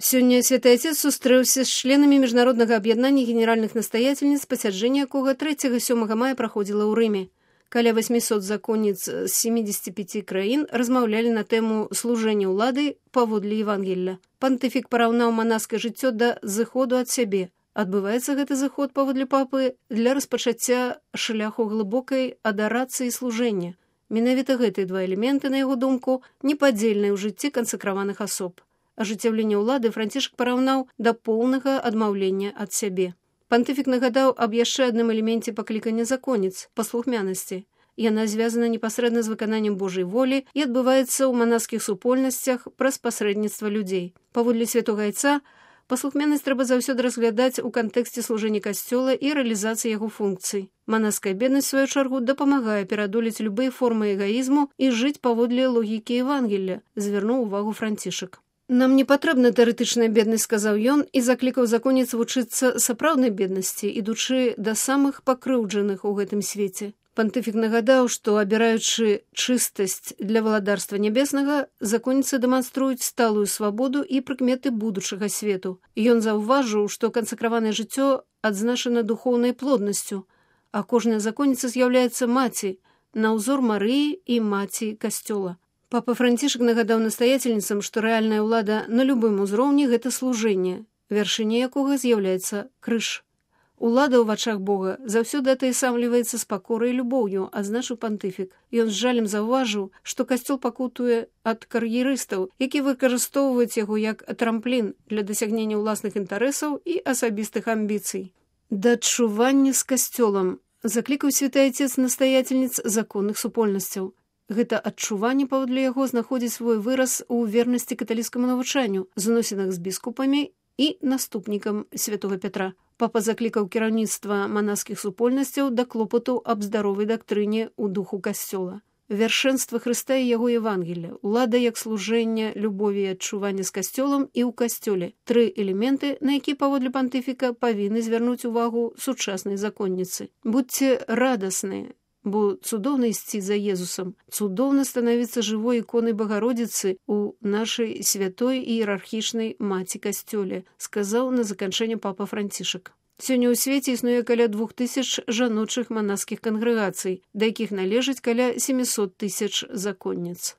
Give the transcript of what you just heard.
Сёння Святы Отец сустрэўся з членамі міжнароднага аб'яднання генеральных настаятельніц, пасяджэнне якога 3-7 мая праходзіла ў Рыме. Каля 800 законніц з 75 краін размаўлялі на тэму служэння ўлады паводле Евангелля. Пантыфік параўнаў манаскае жыццё да зыходу ад сябе. Адбываецца гэты зыход паводле папы для распачацця шляху глыбокай адарацыі служэння. Менавіта гэтыя два элементы, на яго думку, непадзельныя ў жыцці кансакраваных асоб. Ажыццяўленне ўлады Францішак параўнаў да поўнага адмаўлення ад сябе. Пантыфік нагадаў аб яшчэ адным элеменце паклікання законніц – паслухмянасці. Яна звязана непасрэдна з выкананнем Божай волі і адбываецца ў манаскіх супольнасцях праз пасрэдніцтва людзей. Паводле святога Айца, паслухмянасць трэба заўсёды разглядаць у кантэксце служэння касцёла і рэалізацыі яго функцый. Манаская беднасць, сваю чаргу, дапамагае пераадолець любыя формы эгаізму і жыць паводле логікі Евангелля, звярнуў увагу Францішак. «Нам не патрэбна тэарэтычная беднасць», – сказаў ён, і заклікаў законніц вучыцца сапраўднай беднасці, ідучы да самых пакрыўджаных у гэтым свеце. Пантыфік нагадаў, што, абіраючы чыстасць для валадарства нябеснага, законніцы дэманструюць сталую свабоду і прыкметы будучага свету. Ён заўважыў, што кансакраванае жыццё адзначана духоўнай плоднасцю, а кожная законніца з'яўляецца маці, на ўзор Марыі і маці касцёла. Папа Францішак нагадаў настаятельніцам, што рэальная ўлада на любым узроўні – гэта служэнне, вяршыня якога з'яўляецца крыж. Улада ў вачах Бога заўсёды атаясамліваецца з пакорай і любоўю, адзначыў пантыфік. Ён з жалем заўважыў, што касцёл пакутуе ад кар'ерыстаў, які выкарыстоўваюць яго як трамплін для дасягнення ўласных інтарэсаў і асабістых амбіцый. Да адчування з касцёлам заклікаў Святы Айцец настаятельніц законных супольнасцяў. Гэта адчуванне, паводле яго, знаходзіць свой выраз у вернасці каталіцкаму навучанню, зносінах з біскупамі і наступнікам святога Пятра. Папа заклікаў кіраўніцтва манаскіх супольнасцяў да клопату аб здаровай дактрыне ў духу касцёла. Вяршэнства Хрыста і яго Евангелля, улада як служэння, любові і адчування з касцёлам і ў касцёле. 3 элементы, на які, паводле пантыфіка, павінны звярнуць увагу сучаснай законніцы. Будьце радасныя, бо цудоўна ісці за Езусам, цудоўна становіцца жывой іконай Багародзіцы ў нашай святой іерархічнай маці касцёле, сказаў на заканчэнне папа Францішак. Сёння ў свеце існуе каля 2000 жаночых манаскіх кангрэгацый, да якіх належыць каля 700 000 законніц.